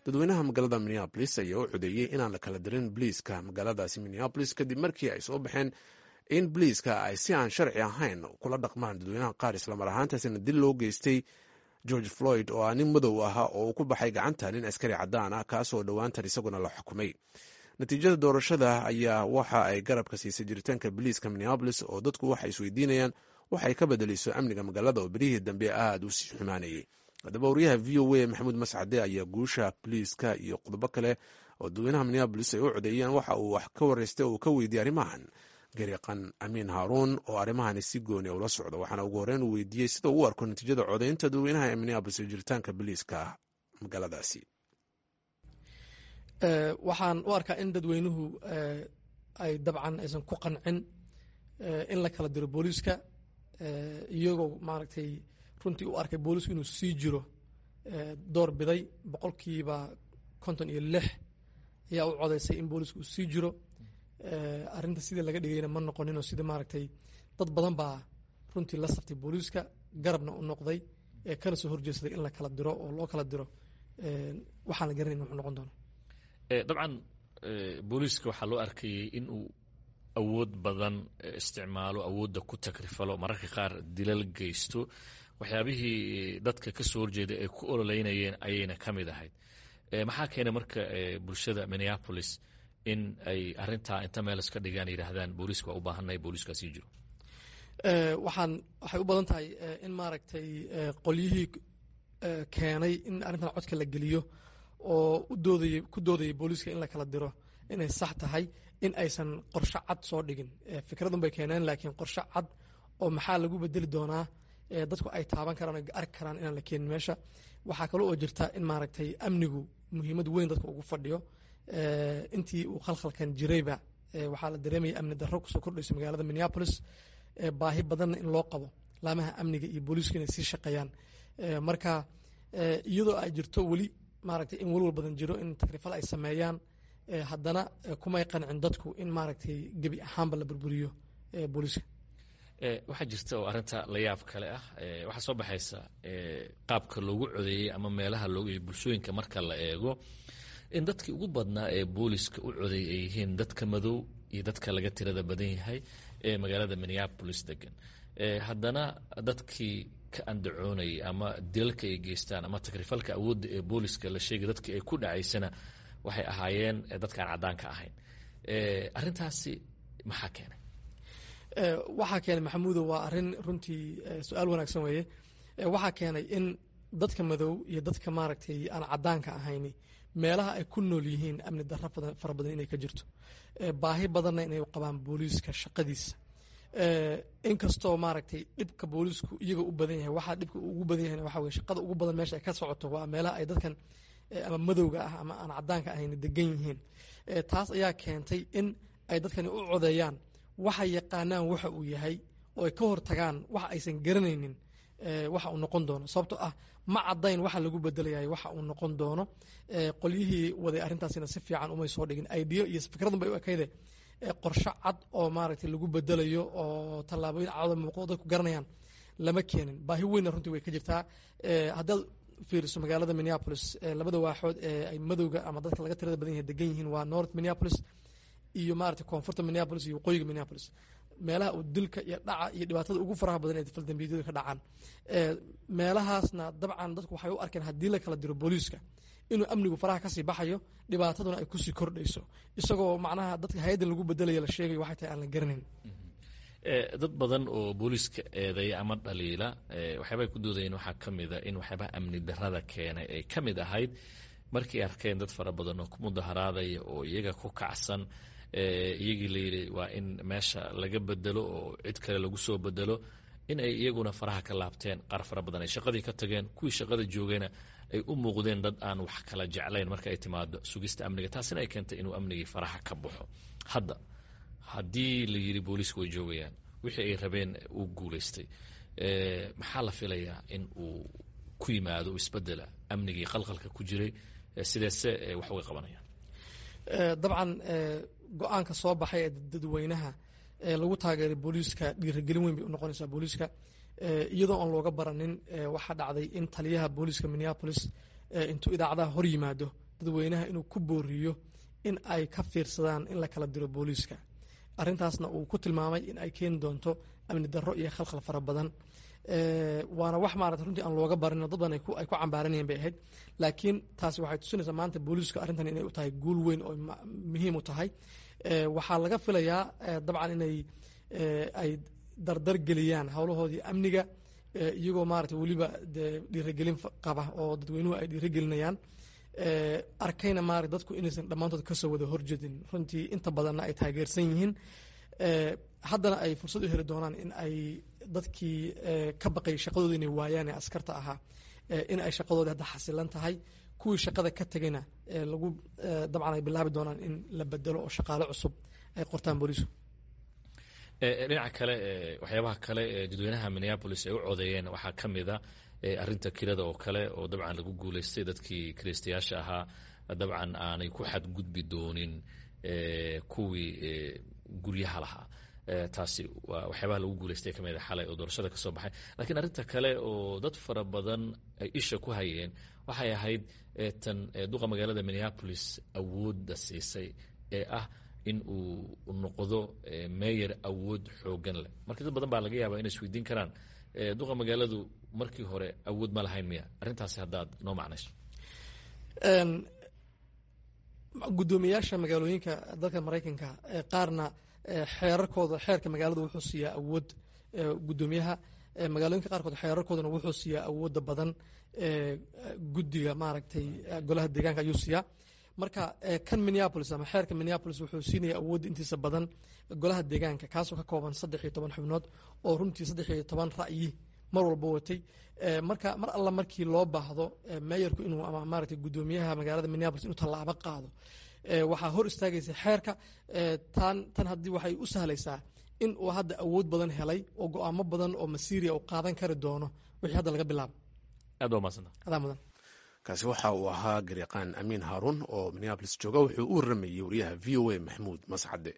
Dadweynaha magaalada Minneapolis ayaa u codeeyey inaan la kala dirin boliiska magaaladaasi Minneapolis, kadib markii ay soo baxeen in boliiska ay si aan sharci ahayn kula dhaqmaan dadweynaha qaar, islamar ahaantaasina dil loo geystay George Floyd, oo ah nin madow ahaa oo uu ku baxay gacanta nin askari caddaan ah, kaasoo dhowaantan isaguna la xukumay. Natiijada doorashada ayaa waxa ay garabka siisay jiritaanka boliiska Minneapolis, oo dadku waxay isweydiinayaan waxay ka bedelayso amniga magaalada oo berihii dambe aada u sii xumaanayay. Haddaba, wariyaha VOA Maxamuud Mascade ayaa guusha boliiska iyo qodobo kale oo dadweynaha Minneapolis ay u codeeyeen waxa uu wax ka wareystay oo uu ka weydiiyey arrimahan gariiqan Amiin Haaruun, oo arrimahani si gooni ula socda, waxaana ugu horreyn uu weydiiyey sida uu u arko natiijada codeynta dadweynaha ee Minneapolis iyo jiritaanka boliiska magaaladaasi. Waxaan u arkaa in dadweynuhu ay dabcan aysan ku qancin in la kala diro booliiska, iyagoo maaragtay runtii u arkay boolisku inuu sii jiro door biday. 56% ayaa u codaysay in boolisku uu sii jiro. Arrinta sidii laga dhigayna ma noqoninoo sidii maaragtay dad badan baa runtii la saftay booliiska, garabna u noqday, ee kana soo horjeedsaday in la kala diro oo loo kala diro. Waxaan la garanayn wuxuu noqon doono. Dabcan booliiska waxaa loo arkayay in uu awood badan isticmaalo, awoodda ku takrifalo, mararka qaar dilal geysto. Waxyaabihii dadka ka soo horjeeday ay ku ololeynayeen ayayna ka mid ahayd. Maxaa keenay marka bulshada Minneapolis in ay arrintaa inta meel iska dhigaan yidhaahdaan booliiska waa u baahannahay, booliiskaa sii jiro? Waxay u badan tahay in maaragtay qolyihii keenay in arrintan codka la geliyo oo u doodayay, ku doodayay booliiska in la kala diro inay sax tahay, in aysan qorshe cad soo dhigin. Fikradun bay keeneen, laakiin qorshe cad oo maxaa lagu bedeli doonaa dadku ay taaban karaan o arki karaan inaan la keenin meesha. Waxaa kale oo jirta in maaragtay amnigu muhiimad weyn dadka ugu fadhiyo. Intii uu khalkhalkan jirayba waxaa la dareemayay amni darro kusoo kordhayso magaalada Minneapolis, baahi badanna in loo qabo laamaha amniga iyo booliisku inay sii shaqeeyaan. Marka iyadoo ay jirto weli maaragtay in walwal badan jiro in takrifal ay sameeyaan, haddana kumay qancin dadku in maaragtay gebi ahaanba la burburiyo booliiska. Waxaa jirta oo arrinta la yaab kale ah, waxaa soo baxaysa qaabka loogu codeeyey ama meelaha loogu bulshooyinka marka la eego in dadkii ugu badnaa ee booliska u codeeyay ay yihiin dadka madow iyo dadka laga tirada badan yahay ee magaalada Minneapolis degan. Haddana dadkii ka andacoonayay ama dilalka ay geystaan ama takrifalka awoodda ee booliska la sheegay dadkii ay ku dhacaysana waxay ahaayeen dadkaan caddaanka ahayn. Arrintaasi maxaa keenay? Waxaa keenay, Maxamuudo, waa arrin runtii su-aal wanaagsan weeye. Waxaa keenay in dadka madow iyo dadka maaragtay aan caddaanka ahayni meelaha ay ku nool yihiin amni darro fara badan inay ka jirto, baahi badanna inay qabaan booliiska shaqadiisa. Inkastoo maaragtay dhibka booliisku iyaga u badan yahay, waxaa dhibka ugu badan yahay waxa weye shaqada ugu badan meesha ay ka socoto waa meelaha ay dadkan ama madowga ah ama aan caddaanka ahayn degan yihiin. Taas ayaa keentay in ay dadkani u codeeyaan waxay yaqaanaan waxa uu yahay oo ay ka hor tagaan waxa aysan garanaynin waxa uu noqon doono, sababtoo ah ma caddayn waxa lagu bedelayahay waxa uu noqon doono. Qolyihii waday arrintaasina si fiican umay soo dhigin idea iyo fikradun bay u ekayde, qorshe cad oo maaragtay lagu bedelayo oo tallaabooyin cadoo muuqdo dadku garanayaan lama keenin. Baahi weynna runtii way ka jirtaa. Haddaad fiiriso magaalada Minneapolis, labada waaxood ee ay madowga ama dadka laga tirada badan yahay degan yihiin waa North Minneapolis iyo maaragtay koonfurta Minneapolis iyo waqooyiga Minneapolis, meelaha uu dilka iyo dhaca iyo dhibaatada ugu faraha badan ee faldambiyadu ka dhacaan. Meelahaasna dabcan dadku waxay u arkeen haddii la kala diro booliiska inuu amnigu faraha kasii baxayo, dhibaataduna ay kusii kordhayso, isagoo macnaha dadka hay-addan lagu bedelaya la sheegayo waxay tahay aan la garanayn. Dad badan oo booliiska eedeeya ama dhaliila waxyaabay ku doodayeen waxaa ka mid a in waxyaabaha amni darrada keenay ay ka mid ahayd markii arkeen dad fara badan oo ku mudaharaadaya oo iyaga ku kacsan, iyagii la yidhi waa in meesha laga bedelo oo cid kale lagu soo bedelo, in ay iyaguna faraha ka laabteen, qaar fara badan ay shaqadii ka tageen, kuwii shaqada joogayna ay u muuqdeen dad aan wax kala jeclayn marka ay timaado sugista amniga, taasina ay keentay inuu amnigii faraha ka baxo. Hadda haddii la yidhi booliisku way joogayaan, wixii ay rabeen uu guulaystay, maxaa la filayaa in uu ku yimaado isbedela amnigii qalqalka ku jiray? Sideese wax uga qabanayaan? Dabcan go-aanka soo baxay ee dadweynaha ee lagu taageeray booliiska dhiirigelin weyn bay u noqonaysaa booliiska, iyadoo aan looga baranin. Waxaa dhacday in taliyaha booliiska Minneapolis intuu idaacadaha hor yimaado Dadweynaha inuu ku booriyo in ay ka fiirsadaan in la kala diro booliiska, arrintaasna uu ku tilmaamay in ay keeni doonto amni darro iyo khalkhal fara badan. Waana wax maarata runtii aan looga barin, dad badan ay ku cambaaranayeen bay ahayd. Laakiin taasi waxay tusinaysaa maanta booliisku arrintan inay u tahay guul weyn oo muhiim u tahay. Waxaa laga filayaa dabcan inay ay dardar geliyaan howlahoodii amniga, iyagoo maarata weliba dee dhiirigelin qaba oo dadweynuhu ay dhiirigelinayaan. Arkayna maarata dadku inaysan dhammaantood kasoo wada horjedin, runtii inta badanna ay taageersan yihiin. Haddana ay fursad u heli doonaan in ay dadkii ka baqay shaqadooda inay waayaan ee askarta ahaa in ay shaqadoodii hadda xasilan tahay, kuwii shaqada ka tegayna lagu dabcan ay bilaabi doonaan in la bedelo oo shaqaale cusub ay qortaan booliisku. Dhinaca kale, waxyaabaha kale ee dadweynaha Minneapolis ay u codeeyeen waxaa ka mid a arrinta kirada oo kale, oo dabcan lagu guuleystay dadkii kiraystayaasha ahaa dabcan aanay ku xadgudbi doonin kuwii guryaha lahaa. Taasi waa waxyaabaha lagu guuleystay ka mid a xalay oo doorashada ka soo baxay. Laakiin arrinta kale oo dad fara badan ay isha ku hayeen waxay ahayd tan duqa magaalada Minneapolis awoodda siisay ee ah in uu noqdo meyer awood xoogan leh. Marka dad badan baa laga yaabaa inay isweydiin karaan, duqa magaaladu markii hore awood ma lahayn miya? Arrintaasi haddaad noo macnayso. Guddoomiyaasha magaalooyinka dalka Maraykanka qaarna xeerarkooda, xeerka magaalada wuxuu siiyaa awood guddoomiyaha magaalooyinka qaarkood, xeerarkoodana wuxuu siiyaa awoodda badan guddiga maaragtay golaha deegaanka ayuu siiyaa. Marka kan Minneapolis ama xeerka Minneapolis wuxuu siinaya awoodda intiisa badan golaha deegaanka, kaasoo ka kooban 13 xubnood oo runtii 13 ra'yi mar walba watay. Marka mar alla markii loo baahdo meeyarku inuu ama maaragtay guddoomiyaha magaalada Minneapolis inuu tallaabo qaado, waxaa hor istaagaysa xeerka. Tan haddii waxay u sahlaysaa in uu hadda awood badan helay oo go'aamo badan oo masiiriya uu qaadan kari doono wixii hadda laga bilaabo. Aad waa mahadsanta. Adaa mudan. Kaasi waxa uu ahaa garyaqaan Amiin Haaruun oo Minneapolis jooga. Wuxuu u warramayey wariyaha VOA Maxamuud Mascade.